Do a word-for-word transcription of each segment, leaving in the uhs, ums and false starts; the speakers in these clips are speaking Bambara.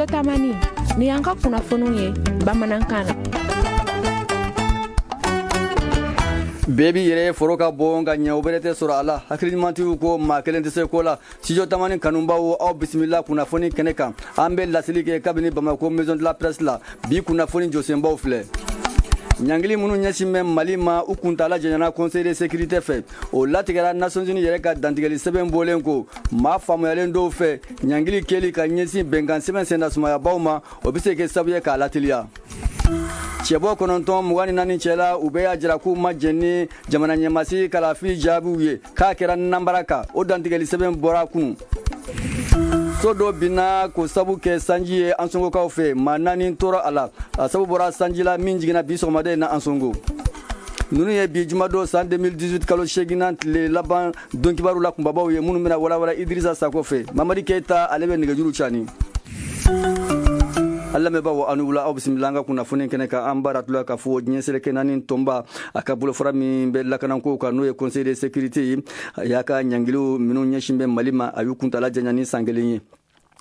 Studio Tamani, ni y'an ka kunnafoniw ye bamanankan na. Bɛɛ b'i yɛrɛ foro ka bon ka ɲɛ, o bɛrɛ tɛ sɔrɔ a la. Hakiliɲumantigiw ko maa kelen tɛ se ko la. Studio Tamani kanubaw, aw bisimila kunnafoni kɛnɛ kan. An bɛ laseli kɛ kabini Bamako Maison de la Presse la. Bi kunnafoni jɔsenbaw filɛ: ɲangili minnu ɲɛsin bɛ Mali ma, u kuntala janyana Conseil de sécurité fɛ. O latigɛra Nations Unies yɛrɛ ka dantigɛli sɛbɛn bɔlen ko maa faamuyalen dɔw fɛ, ɲangili kɛli ka ɲɛsin bɛnkan sɛbɛn sennasumayabaw ma, o bɛ se kɛ sababu ye k'a lateliya. Cɛbɔ kɔnɔntɔn mugan ni naani cɛla, u bɛɛ y'a jira k'u ma jɛn ni jamana ɲɛmasigi kalafili jaabiw ye, k'a kɛra nanbara kan. O dantigɛli sɛbɛn bɔra kunun. So dɔ binna k'o sabu kɛ sanji ye Ansongokaw fɛ, maa naani tora a la. A sabu bɔra sanji la min jiginna bi sɔgɔmada in na Ansongo. Ninnu ye bi jumadon san deux mille dix-huit kalo seeginnan tile laban don kibaru la kunbabaw ye, minnu bɛna walawala Idirisa Sako fɛ. Mamadi Keyita, ale bɛ nɛgɛjuru cani. An lamɛnbaaw, aw ni wula, aw bisimila an ka kunnafoni kɛnɛ kan. An b'a ratula k'a fɔ diɲɛ seleke naani tɔnba a ka bolofara min bɛ lakanako kan, n'o ye Conseil de sécurité ye, a y'a ka ɲangiliw minnu ɲɛsin bɛ Mali ma, a y'u kuntala janya ni san kelen ye.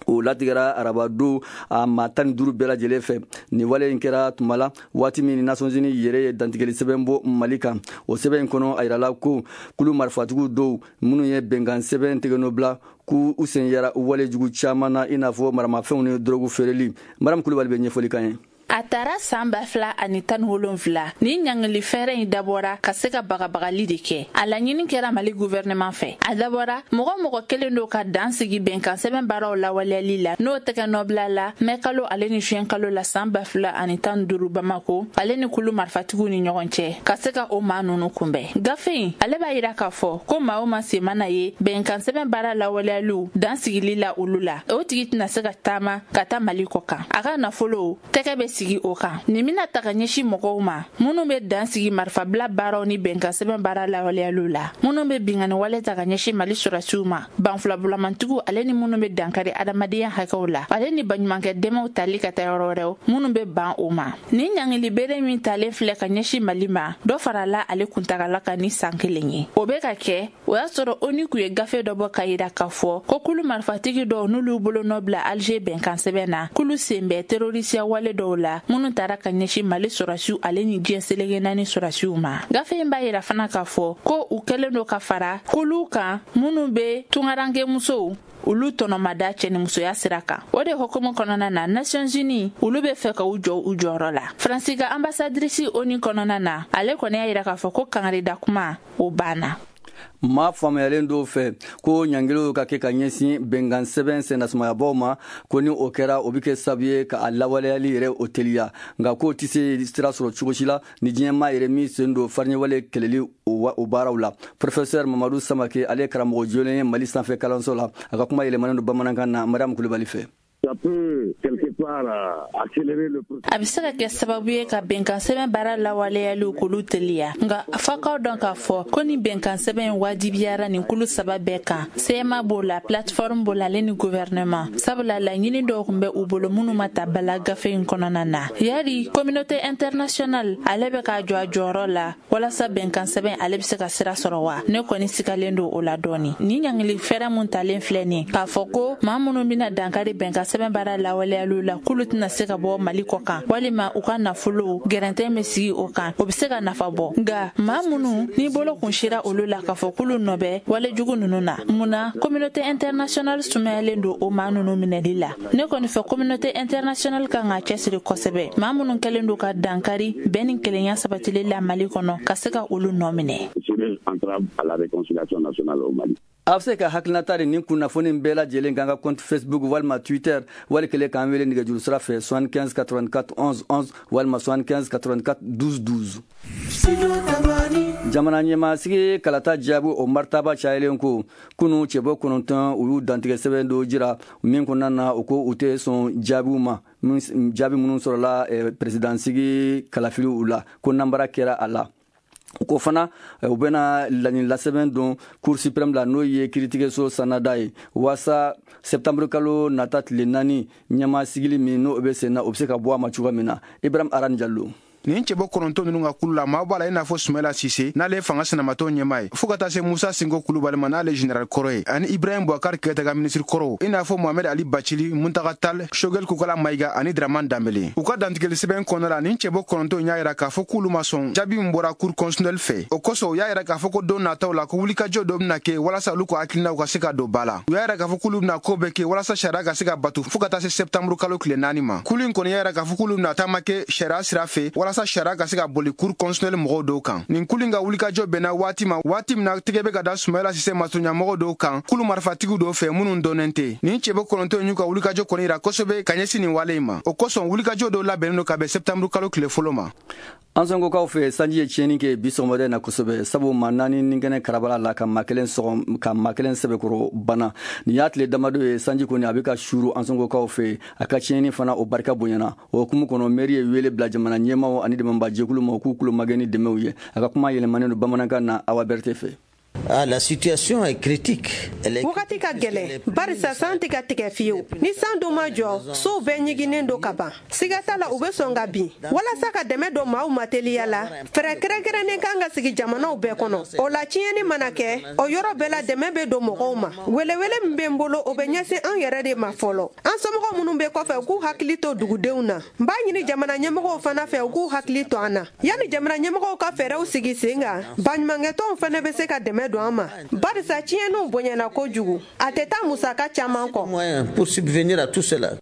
O latigɛra arabado a maa tan ni duuru bɛɛ lajɛlen fɛ. Nin wale in kɛra tuma la waati min Nations Unies yɛrɛ ye dantigɛli sɛbɛn bɔ Mali kan. O sɛbɛn in kɔnɔ, a yirala ko kulu marifatigiw dɔw minnu ye bɛnkan sɛbɛn tigɛnɔ bila, k'u u sen yara wale jugu caman na, i n'a fɔ maramafɛnw ni dɔrɔgu feereli. Mariam Kulubali bɛ ɲɛfɔli kan ye. A taara saan ba fila ani tan ni wolonfila, ni ɲangili fɛɛrɛ in dabɔra ka se ka bagabagali de kɛ. A laɲini kɛra Mali guvɛrɛnɛman fɛ. A dabɔra mɔgɔ mɔgɔ kelen do ka dan sigi bɛnkan sɛbɛn baaraw lawaleyali la, n'o tɛgɛ nɔbila la mɛ kalo ale ni zuwɛn kalo la saan ba fila ani tan duuru, Bamako ale ni kulu marifatigiw ni ɲɔgɔn cɛ, ka se ka o maa nunu kunbɛn. Gafe in ale b'a yira k'a fɔ ko maa o ma sen mana ye bɛnkan sɛbɛn baara lawaleyaliw dan sigili la olu la, o tigi tɛna se ka taama ka taa Mali kɔ kan, a ka nafolo tɛgɛ bɛ sigi o kan. Nin bɛna ta ka ɲɛsin mɔgɔw ma minnu bɛ dan sigi marifabila baaraw ni bɛnkan sɛbɛn baara lawaleyaliw la, minnu bɛ bingani wale ta ka ɲɛsin Mali sɔrɔsiw ma, banfilabulamantigiw ale ni minnu bɛ dankari adamadenya hakɛw la, ale ni baɲumankɛ dɛmɛw tali ka taa yɔrɔ wɛrɛw minnu bɛ ban o ma. Nin ɲangili bere min talen filɛ ka ɲɛsin Mali ma, dɔ farala ale kuntagala kan ni san kelen ye. O bɛ ka kɛ o y'a sɔrɔ ONU kun ye gafe dɔ bɔ ka yira k'a fɔ ko kulu marifatigi dɔw, n'olu bolonɔ bila Alger bɛnkan sɛbɛn na, k'olu sen bɛ terorisiya wale dɔw la minnu taara ka ɲɛsin Mali sɔrɔsiw ale ni diɲɛ seleke naani sɔrɔsiw ma. Gafe in b'a yira fana k'a fɔ ko u kɛlen don ka fara kuluw kan minnu bɛ tungaranke musow olu tɔnɔmada cɛnimusoya sira kan. O de hukumu kɔnɔna na, Nations Unies olu bɛ fɛ ka u jɔ u jɔyɔrɔ la. Faransi ka ambassadrice ONU kɔnɔna na, ale kɔni y'a yira k'a fɔ ko kangarida kuma o banna. Maa faamuyalen dɔw fɛ ko ɲangiliw ka kɛ ka ɲɛsin bɛnkan sɛbɛn sennasumayabaw ma, ko ni o kɛra, o bɛ kɛ sababu ye ka a lawaleyali yɛrɛ o teliya. Nka k'o tɛ se sira sɔrɔ cogo si la ni diɲɛmaa yɛrɛ min sen don fariɲɛwale kɛlɛli o baaraw la. Professeur Mamadu Samake, ale ye karamɔgɔ jolen ye Mali sanfɛ kalanso la. A ka kuma yɛlɛmanen don bamanankan na Mariam Kulubali fɛ. A bɛ se ka kɛ sababu ye ka bɛnkan sɛbɛn baara lawaleyaliw k'olu teliya, nka f'akaw dɔn k'a fɔ ko ni bɛnkan sɛbɛn in wajibiyara nin kulu saba bɛɛ kan, C M A b'o la, plateforme b'o la, ale ni gouvernement, sabula laɲini dɔw tun bɛ u bolo minnu ma ta bala gafe in kɔnɔna na. Yari communauté internationale ale bɛ k'a jɔ a jɔyɔrɔ la walasa bɛnkan sɛbɛn ale bɛ se ka sira sɔrɔ wa? Ne kɔni sigalen don o la dɔɔni. Ni ɲangili fɛɛrɛ mun talen filɛ nin, k'a fɔ ko maa minnu bɛna dankari bɛnkan sɛbɛn baara lawaleyaliw la, k'olu tɛna se ka bɔ Mali kɔ kan, walima u ka nafolo gɛrɛntɛ bɛ sigi o kan, o bɛ se ka nafa bɔ. Nka maa minnu ni bolo kun sira olu la k'a fɔ k'olu nɔ bɛ walejugu ninnu na, munna communauté internationale sumayalen don o maa ninnu minɛli la? Ne kɔni fɛ, communauté internationale kan ka cɛsiri kosɛbɛ, maa minnu kɛlen don ka dankari bɛn ni kelenya sabatili la Mali kɔnɔ, ka se ka olu nɔ minɛ. A bɛ se ka hakilinata de nin kunnafoni bɛɛ lajɛlen kan ka compte Facebook walima Twitter, wali kelen k'an wele nɛgɛjuru sira fɛ soixante-quinze quatre-vingt-quatre onze onze walima soixante-quinze quatre-vingt-quatre douze douze. Jamana ɲɛmasigi kalata jaabi o maritaba cayalen ko kunu, cɛbɔ kɔnɔntɔn u y'u dantigɛ sɛbɛn dɔ jira min kɔnɔna na, u ko u tɛ sɔn jaabiw ma, jaabi minnu sɔrɔla perezidansigi kalafiliw la, ko nanbara kɛra a la. U ko fana u bɛna laɲini lasɛbɛn don Cour suprême la, n'o ye kiiritigɛso sanada ye, waasa septembre kalo nata tile naani ɲɛma sigili min n'o bɛ sen na, o bɛ se ka bɔ a ma cogoya min na. Ibrahim Arani Jalo. Nin cɛbɔ kɔnɔntɔn ninnu ka kulu la, maa b'a la i n'a fɔ Sumayila Sise, n'ale ye fanga sinamatɔn ɲɛmaa ye, fo ka taa se Musa Sinko Kulubali ma, n'ale général kɔrɔ ye, ani Ibrahim Boubacar Keita ka ministre kɔrɔw, i n'a fɔ Mohamed Ali Bacili, Muntaga Tal, Shogel Kokala Mayiga ani Draman Danbele. U ka dantigɛli sɛbɛn kɔnɔna la, nin cɛbɔ kɔnɔntɔn y'a yira k'a fɔ k'olu ma sɔn jaabi min bɔra cour constitutionnelle fɛ. O kosɔn, u y'a yira k'a fɔ ko don nataw la, ko wulikajɔ dɔ bɛna kɛ walasa olu ka hakilinaw ka se ka don ba la. U y'a yira k'a fɔ k'olu bɛna ko bɛɛ kɛ walasa sariya ka se ka batu fo ka taa se septembre kalo tile naani ma. Kulu in kɔni y'a yira k'a fɔ k'olu bɛna taama kɛ sariya sira fɛ walasa sariya ka se ka boli cour constitutionnelle mɔgɔw dɔw kan. Nin kulu in ka wulikajɔ bɛnna waati ma, waati min na tɛgɛ bɛ ka da Sumayila Sise masurunyamɔgɔw dɔw kan kulu marifatigiw dɔw fɛ minnu dɔnnen tɛ. Nin cɛbɔ kɔnɔntɔn y'u ka wulikajɔ kɔni yira kosɛbɛ ka ɲɛsin nin wale in ma. O kosɔn, wulikajɔ dɔw labɛnnen don ka bɛn septembre kalo tile fɔlɔ ma. An sɔnkokaw fɛ, sanji ye tiɲɛni kɛ bi sɔgɔmada in na kosɛbɛ, sabu maa naani ni kɛnɛ karabala la ka maa kelen sɔgɔ ka maa kelen sɛbɛkɔrɔ bana. Nin y'a tile damadɔ ye sanji kɔni a bɛ ka suuru an sɔnkokaw fɛ, a ka tiɲɛni fana o barika bonyana. O hukumu kɔnɔ, mairie ye wele bila jamana ɲɛmaaw ani dɛmɛbajɛkulu ma u k'u kulo magɛn ni dɛmɛw ye. A ka kuma yɛlɛmanen don bamanankan na Awa Berete fɛ. Ah, la situation est critique. Wagati ka gɛlɛn barisa san tɛ ka tigɛ fiyewu. Ni san dun ma jɔ, sow bɛɛ ɲiginnen don ka ban. Siga t'a la, u bɛ sɔn ka bin. Walasa ka dɛmɛ don maaw ma teliya la, fɛɛrɛ kɛrɛnkɛrɛnnen kan ka sigi jamanaw bɛɛ kɔnɔ. O la, tiɲɛni mana kɛ, o yɔrɔ bɛɛ la dɛmɛ bɛ don mɔgɔw ma. Welewele min bɛ n bolo, o bɛ ɲɛsin an yɛrɛ de ma fɔlɔ. An somɔgɔw minnu bɛ kɔfɛ, u k'u hakili to dugudenw na. N b'a ɲini jamana ɲɛmɔgɔw fana fɛ, u k'u hakili to an na. Yanni jamana ɲɛmɔgɔw ka fɛɛrɛw sigi sen kan, baɲumankɛtɔnw fana bɛ se ka dɛmɛ don an ma, barisa tiɲɛniw bonyana kojugu, a tɛ taa musaka caman kɔ. Pour subvenir à tout cela.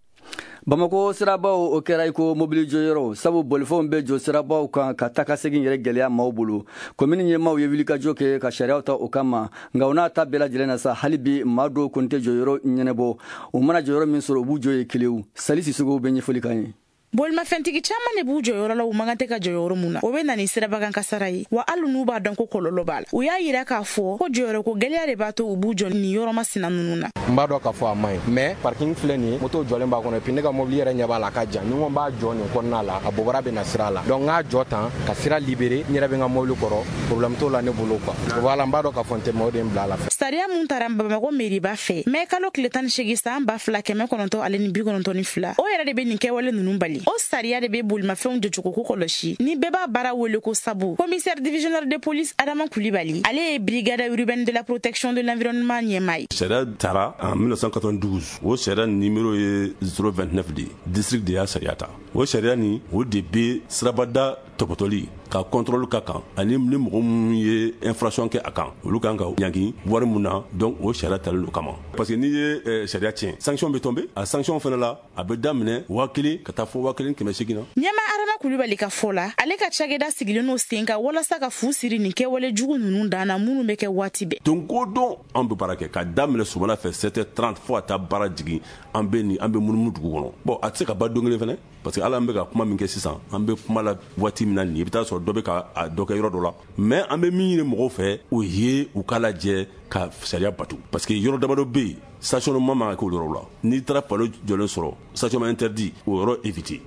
Bamako sirabaw o kɛra i ko mobili jɔyɔrɔ, sabu bolifɛnw bɛ jɔ sirabaw kan ka taa ka segin yɛrɛ gɛlɛya maaw bolo. Komini ɲɛmaaw ye wulikajɔ kɛ ka sariyaw ta o kama, nka o n'a ta bɛɛ lajɛlen na sa, hali bi maa dɔw kɔni tɛ jɔyɔrɔ ɲɛnabɔ. U mana jɔyɔrɔ min sɔrɔ, u b'u jɔ ye kelewu. Sali Sisogo bɛ ɲɛfɔli k'an ye. Bolimafɛntigi caman de b'u jɔyɔrɔ la u man kan tɛ ka jɔyɔrɔ mun na. O bɛ na ni sirabakan kasara ye, wa hali n'u b'a dɔn ko kɔlɔlɔ b'a la. U y'a yira k'a fɔ ko jɔyɔrɔko gɛlɛya de b'a to u b'u jɔ nin yɔrɔ masina ninnu na. N b'a dɔn k'a fɔ a man ɲi, mais parking filɛ nin ye, moto jɔlen b'a kɔnɔ, et puis ne ka mobili yɛrɛ ɲɛ b'a la a ka jan. Ni n ko n b'a jɔ nin kɔnɔna la, a bobara bɛ na sira la. Donc n k'a jɔ tan ka sira libérer, n yɛrɛ bɛ n ka mobili kɔrɔ, problème t'o la ne bolo quoi. Voilà, n b'a dɔn k'a fɔ n tɛ, mais o de ye n bila a la. Sariya mun taara Bamakɔ meriba fɛ mɛ kalo tile tan ni seegin san ba fila kɛmɛ kɔnɔntɔn ale ni bi kɔnɔntɔn ni fila, o yɛrɛ de bɛ nin kɛwale ninnu bali. O sariya de bɛ bolimafɛnw jɔcogo ko kɔlɔsi, ni bɛɛ b'a baara wele ko sabu. Commissaire divisionnaire de police Adama Kulibali, ale ye brigade urbaine de la protection de l'environnement ɲɛmaa ye. Sariya tara en mille neuf cent quatre-vingt-douze, o sariya numéro ye zéro vingt-neuf de ye, district de y'a sariya ta. O sariya nin, o de bɛ sirabada tɔpɔtɔli ka contrôle ka kan, ani ni mɔgɔ minnu ye infraction kɛ a kan, olu kan ka ɲangi wari mun na. Donc o sariya talen do kama, parce que n'i ye sariya tiɲɛ, sanction bɛ tomber. A sanction fana la, a bɛ daminɛ waa kelen ka taa fo waa kelen kɛmɛ seegin na. Ɲɛma Adama Kulibali ka fɔ la, ale ka cakɛda sigilen n'o sen kan walasa ka fu siri nin kɛwale jugu ninnu dan na minnu bɛ kɛ waati bɛɛ. Don o don an bɛ baara kɛ ka daminɛ sɔgɔmada fɛ sept heures trente fo ka taa baara jigin, an bɛ nin an bɛ munumunu dugu kɔnɔ. Bon, a tɛ se ka ban don kelen fana, parce que hali an bɛ ka kuma min kɛ sisan, an bɛ kuma la waati min na nin, i bɛ taa sɔrɔ dɔ bɛ ka a dɔ kɛ yɔrɔ dɔ la. Mais an bɛ min ɲini mɔgɔw fɛ, o ye u k'a lajɛ ka sariya batu, parce que yɔrɔ damadɔ bɛ yen, stationnement man ka kɛ o yɔrɔ la. N'i taara panneau jɔlen sɔrɔ stationnement interdit, o yɔrɔ éviter.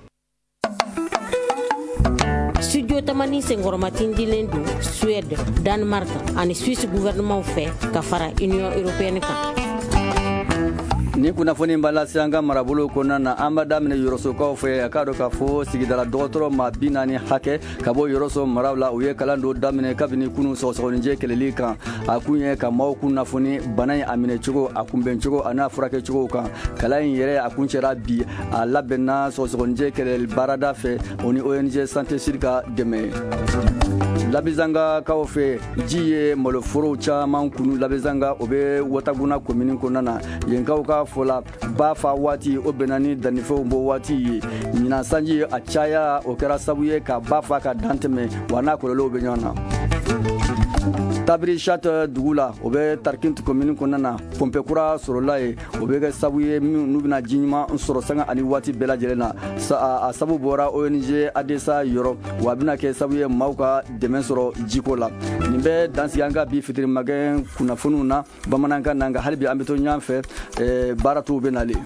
Studio Tamani senkɔrɔmatindilen don Suède, Danemark ani Suisse gouvernement fɛ ka fara Union européenne kan. Ni kunnafoni b'a lase an ka marabolo kɔnɔna na, an b'a daminɛ Yɔrɔsokaw fɛ. A k'a dɔn k'a fɔ sigidala dɔgɔtɔrɔ maa bi naani hakɛ ka bɔ Yɔrɔso maraw la, u ye kalan dɔ daminɛ kabini kunun sɔgɔsɔgɔninjɛ kɛlɛli kan. A kun ye ka maaw kunnafoni bana in a minɛcogo, a kunbɛncogo a n'a furakɛcogo kan. Kalan in yɛrɛ a kuncɛra bi, a labɛnna sɔgɔsɔgɔninjɛ kɛlɛli baarada fɛ, o ni O N G Santé Sud ka dɛmɛ. Labizangakaw fɛ, ji ye maloforow caman kunu Labizanga, o bɛ Wataguna komini kɔnɔna na. Yenkaw ka fɔ la, ba fa waati o bɛnna ni dannifɛnw bɔ waati ye. Ɲinan sanji a caya, o kɛra sababu ye ka ba fa ka dan tɛmɛ, wa n'a kɔlɔlɔw bɛ ɲɔgɔn na. Tabiri Chat dugu la, o bɛ Tarkint commune kɔnɔna na, pɔnpe kura sɔrɔla yen, o bɛ kɛ sababu ye n'u bɛna ji ɲuman sɔrɔ sanga ani waati bɛɛ lajɛlen na. A sababu bɔra O N G Adesa yɔrɔ, wa a bɛna kɛ sababu ye maaw ka dɛmɛ sɔrɔ jiko la. Nin bɛ dansigi an ka bi fitiri magɛn kunnafoniw na bamanankan na, nka hali bi an bɛ to ɲɔgɔn fɛ, baara tɔw bɛ nalen.